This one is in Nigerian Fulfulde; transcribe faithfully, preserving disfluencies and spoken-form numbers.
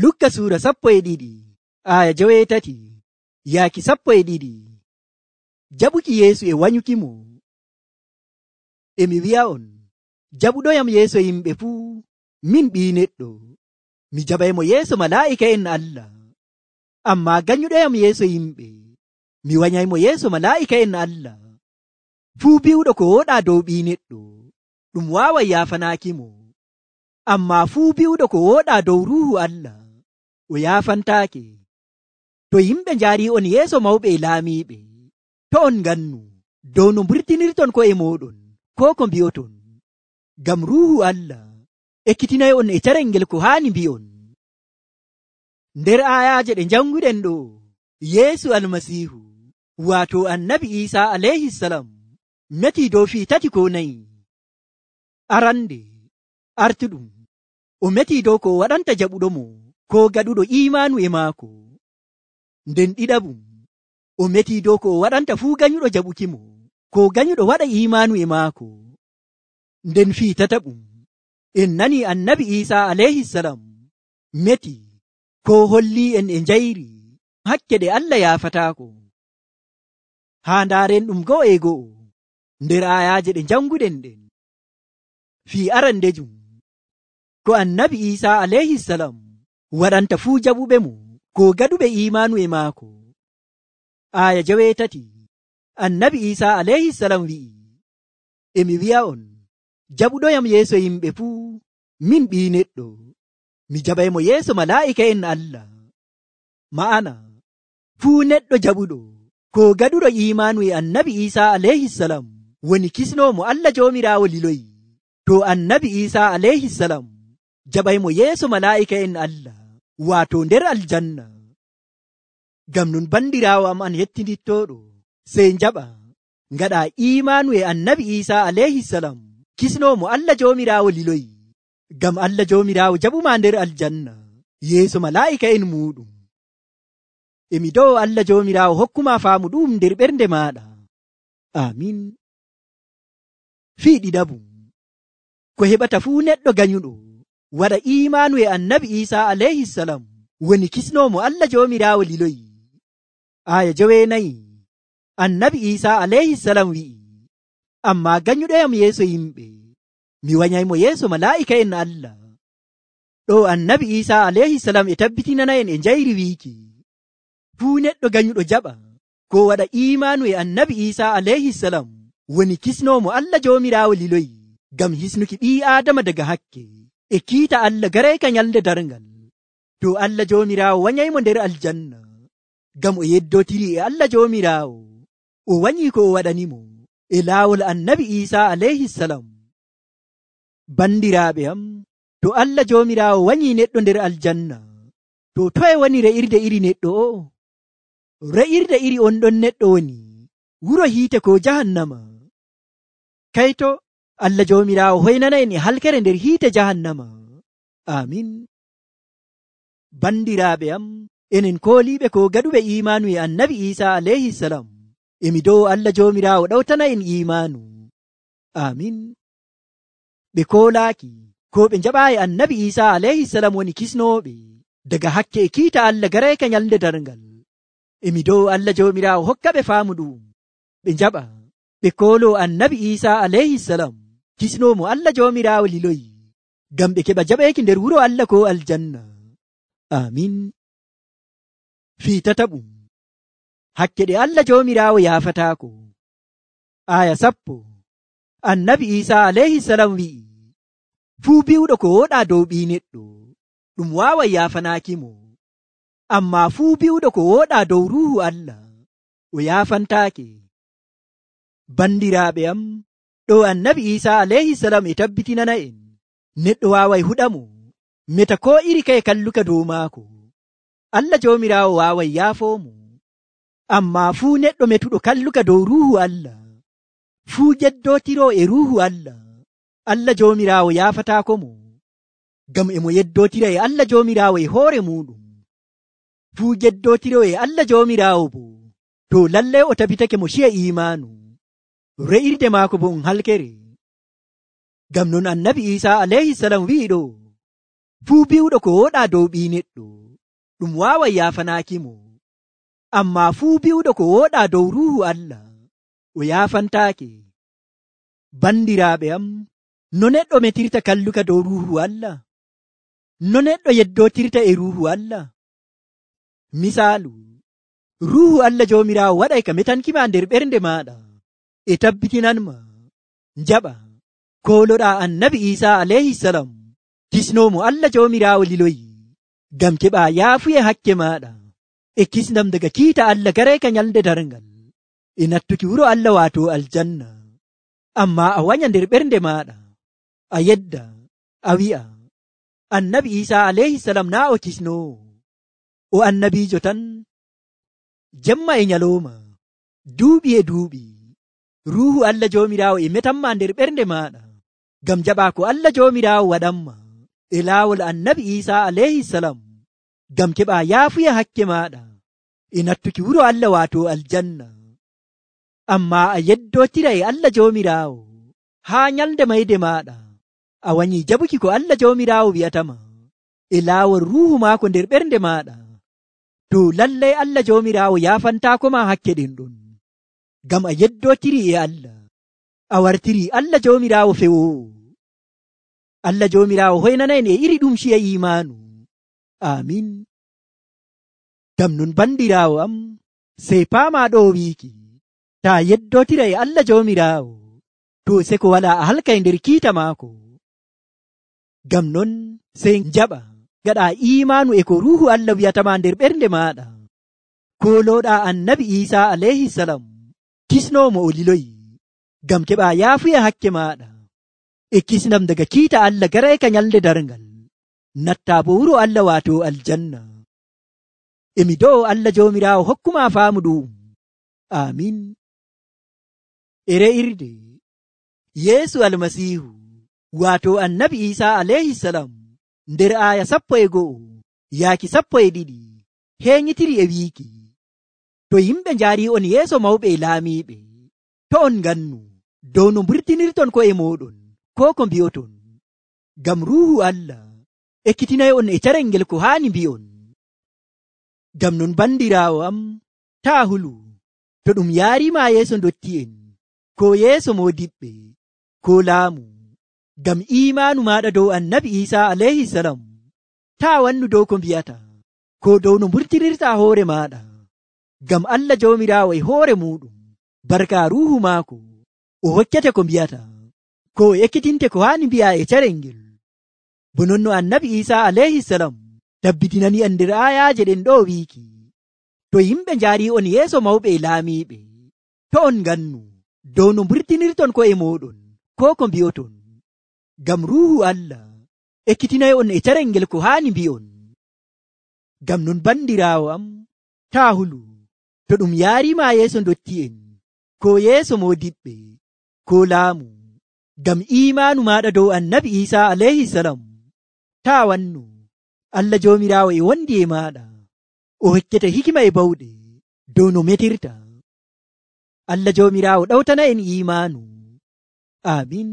Lukka suura sappo e ɗiɗi aya joweetati yaaki sappo e ɗiɗi. Jaɓuki Yeesu e wanyukimo. Emi wi'a'on, jaɓuɗoyam yeeso yimɓe fuu, min ɓii neɗɗo, mi jaɓaymo yeeso malaa'ika'en Allah. Ammaa ganyuɗoyam yeeso yimɓe, mi wanyaymo yeeso malaa'ika'en Allah. Fuu bi'uɗo ko woɗaa dow ɓii neɗɗo, ɗum waaway yaafanaakimo. Ammaa fuu bi'uɗo ko woɗaa dow Ruuhu Allah, o yaafantaake. To yimɓe njaari'on yeeso mawɓe e laamiiɓe, to on ngannu dow no mburtinirton ko'e mooɗon koo ko mbi'oton, ngam Ruuhu Allah ekkitinay'on e carel ngel ko haani mbi'on. Nder aayaaje ɗe njannguɗen ɗo, Yeesu Almasiihu, waato Annabi Iisaa alayhisalam, metii dow fii tati ko nayi. Arande, artuɗum, o metii dow ko waɗanta jaɓuɗomo ko gaɗuɗo iimaanu e maako. Nden ɗiɗaɓum, o metii dow ko waɗanta fuu ganyuɗo jaɓukimo ko ganyuɗo waɗa iimaanu e maako. Nden fii tataɓum, en nani Annabi Iisaa alayhisalam meti ko holli en e njayri hakke ɗe Allah yaafataako. Haa ndaaren ɗum go'o e go'o nder aayaaje ɗe njannguɗen ɗen. Fii arandejum, ko Annabi Iisaa alayhisalam waɗanta fuu jaɓuɓe mo ko gaɗuɓe iimaanu e maako. Aaya joweetati, Annabi Iisaa alayhisalam wi'i, emi wi'a'on, jaɓuɗoyam yeeso yimɓe fuu, min ɓii neɗɗo, mi jaɓaymo yeeso malaa'ika'en Allah. Ma'ana, fuu neɗɗo jaɓuɗo ko gaɗuɗo iimaanu e Annabi Iisaa alayhisalam woni kisnoomo Allah Joomiraawo liloyi. To Annabi Iisaa alayhisalam jaɓaymo yeeso malaa'ika'en Allah, waato nder aljanna. Ngam non bandiraawo am an yettinittooɗo, sey njaɓa ngaɗa iimaanu e Annabi Iisaa alayhisalam, kisnoomo Allah Joomiraawo liloyi, ngam Allah Joomiraawo jaɓuma nder aljanna yeeso malaa'ika'en muuɗum. Emi dow Allah Joomiraawo hokkuma faamu ɗum nder ɓernde maaɗa. Amin. Fii ɗiɗaɓum, ko heɓata fuu neɗɗo ganyuɗo waɗa iimaanu e Annabi Iisaa alayhisalam woni kisnoomo Allah Joomiraawo liloyi. Aya joweenayi, Annabi Iisaa alayhisalam wi'i, ammaa ganyuɗoyam yeeso yimɓe, mi wanyaymo yeeso malaa'ika'en Allah. Ɗo Annabi Iisaa alayhisalam e tabbitinana'en e njayri wiiki, fuu neɗɗo ganyuɗo jaɓa ko waɗa iimaanu e Annabi Iisaa alayhisalam woni kisnoomo Allah Joomiraawo liloyi, ngam hisnuki ɓii Aadama daga hakke e kiita Allah garayka nyalnde darngal. To Allah Joomiraawo wanyaymo nder aljanna, ngam o yeddotiri e Allah Joomiraawo, o wanyi ko o waɗanimo e laawol Annabi Iisaa alayhisalam. Bandiraaɓe am, to Allah Joomiraawo wanyi neɗɗo nder aljanna, to toye woni re'irde iri neɗɗo o? Re'irde iri on ɗon neɗɗo woni wuro hiite ko jahannama. Kayto Allah Joomiraawo hoynana en e halkere nder hiite jahannama. Amin. Bandiraaɓe am, enen kooliiɓe ko gaɗuɓe iimaanu e Annabi Iisaa alayhisalam, emi dow Allah Joomiraawo ɗawtana en iimaanu. Amin. Ɓe koolaaki ko ɓe njaɓaayi Annabi Iisaa alayhisalam woni kisnooɓe daga hakke e kiita Allah garayka nyalnde darngal. Emi dow Allah Joomiraawo hokka ɓe faamu ɗum, ɓe njaɓa ɓe koolo Annabi Iisaa alayhisalam, kisnoomo Allah Joomiraawo liloyi, ngam ɓe keɓa jaɓeeki nder wuro Allah ko aljanna. Amin. Fii tataɓum, hakke ɗe Allah Joomiraawo yaafataako. Aya sappo, Annabi Iisaa alayhisalam wi'i, fuu bi'uɗo ko woɗaa dow ɓii neɗɗo, ɗum waaway yaafanaakimo. Ammaa fuu bi'uɗo ko woɗaa dow Ruuhu Allah, o yaafantaake. Bandiraaɓe am, ɗo Annabi Iisaa alayhisalam e tabbitinana en, neɗɗo waaway huɗamo meta ko iri kaye kalluka dow maako. Allah Joomiraawo waaway yaafoomo. Ammaa fuu neɗɗo metuɗo kalluka dow Ruuhu Allah, fuu jeddootiroo e Ruuhu Allah, Allah Joomiraawo yaafataako mo, ngam emo yeddootira e Allah Joomiraawo e hoore muɗum. Fuu jeddootiroo e Allah Joomiraawo bo, to lallay o tabitake mo ciya iimaanu, re'irde maako bo um halkere. Ngam non Annabi Iisaa alayhisalam wi'i ɗo, fuu bi'uɗo ko woɗaa dow ɓii neɗɗo ɗum waaway yaafanaaki mo, ammaa fuu bi'uɗo ko woɗaa dow ruuhu Allah o yaafantaake. Bandiraaɓe am, no neɗɗo metirta kalluka dow ruuhu Allah? No neɗɗo yeddootirta e ruuhu Allah? Misaalu, ruuhu Allah Joomiraawo waɗay ka metankima nder ɓernde maaɗa e tabbitinanma njaɓa kooloɗaa annabi Iisaa alayhisalam kisnoomo Allah Joomiraawo liloyi ngam keɓaa yaafuye hakke maaɗa e kisnam daga kiita Allah garayka nyalnde darngal e nattuki wuro Allah waato aljanna. Ammaa a wanya nder ɓernde maaɗa a yedda a wi'a annabi Iisaa alayhisalam naa o kisnoowo, o annabiijo tan. Jemma e nyalooma, duuɓi e duuɓi, ruuhu Allah Joomiraawo e metanma nder ɓernde maaɗa ngam jaɓaa ko Allah Joomiraawo waɗanma e laawol annabi Iisaa alayhisalam ngam keɓaa yaafuya hakke maaɗa e nattuki wuro Allah waato aljanna. Ammaa a yeddootira e Allah Joomiraawo haa nyalnde mayde maaɗa a wanyii jaɓuki ko Allah Joomiraawo wi'atama e laawol ruuhu maako nder ɓernde maaɗa. To lallay Allah Joomiraawo yaafantaakoma hakke ɗen ɗon, ngam a yeddootiri e Allah, a wartiri Allah Joomiraawo fewoowo. Allah Joomiraawo hoynanayen e iri ɗum ciya iimaanu. Aamin. Ngam non bandiraawo am, sey paamaa ɗo wiiki, taa yeddootira e Allah Joomiraawo, to seko walaa a halkay nder kiita maako. Ngam non sey njaɓa gaɗa iimaanu e ko ruuhu Allah wi'atama nder ɓernde maaɗa. Koolooɗaa annabi Iisaa alayhisalam kisnoomo o liloyi ngam keɓaa yaafuya hakke maaɗa e kisnam daga kiita Allah garayka nyalnde darngal, nattaa bo wuro Allah waato aljanna. Emi do'o Allah Joomiraawo hokkuma faamu ɗum. Aamin. E re'irde Yeesu Almasiihu waato annabi Iisaa alayhisalam nder aaya sappo e go'o yaaki sappo e ɗiɗi heeñitiri e wiiki, to yimɓe njaari on yeeso mawɓe e laamiiɓe, to on ngannu dow no mburtinirton ko'e mooɗon ko ko mbi'oton, ngam ruuhu Allah ekkitinay on e carel ngel ko haani mbi'on. Ngam non bandiraawo am, taa hulu to ɗum yaariima yeeso ndotti'en ko yeeso moodiɓɓe ko laamu, ngam iimaanu maaɗa dow annabi Iisaa alayhisalam, taa wannu dow ko mbi'ata ko dow no mburtirirta hoore maaɗa, ngam Allah Joomiraawo e hoore muuɗum barka ruuhu maako o hokkete ko mbi'ata ko o ekkitinte ko haani mbi'a e carel ngel. Bo non no annabi Iisaa alayhisalam tabbitinani en nder aayaaje ɗen ɗo wiiki, to yimɓe njaari on yeeso mawɓe e laamiiɓe, to on ngannu dow no mburtinirton ko'e mooɗon ko ko mbi'oton, ngam ruuhu Allah ekkitinay on e carel ngel ko haani mbi'on. Ngam non bandiraawo am, taa hulu to ɗum yaariima yeeso ndotti'en ko yeeso moodiɓɓe ko laamu, ngam iimaanu maaɗa dow annabi Iisaa alayhisalam, taa wannu Allah Joomiraawo e wondi e maaɗa o hokkete hikima e bawɗe dow no metirta. Allah Joomiraawo ɗawtana en iimaanu. Aamin.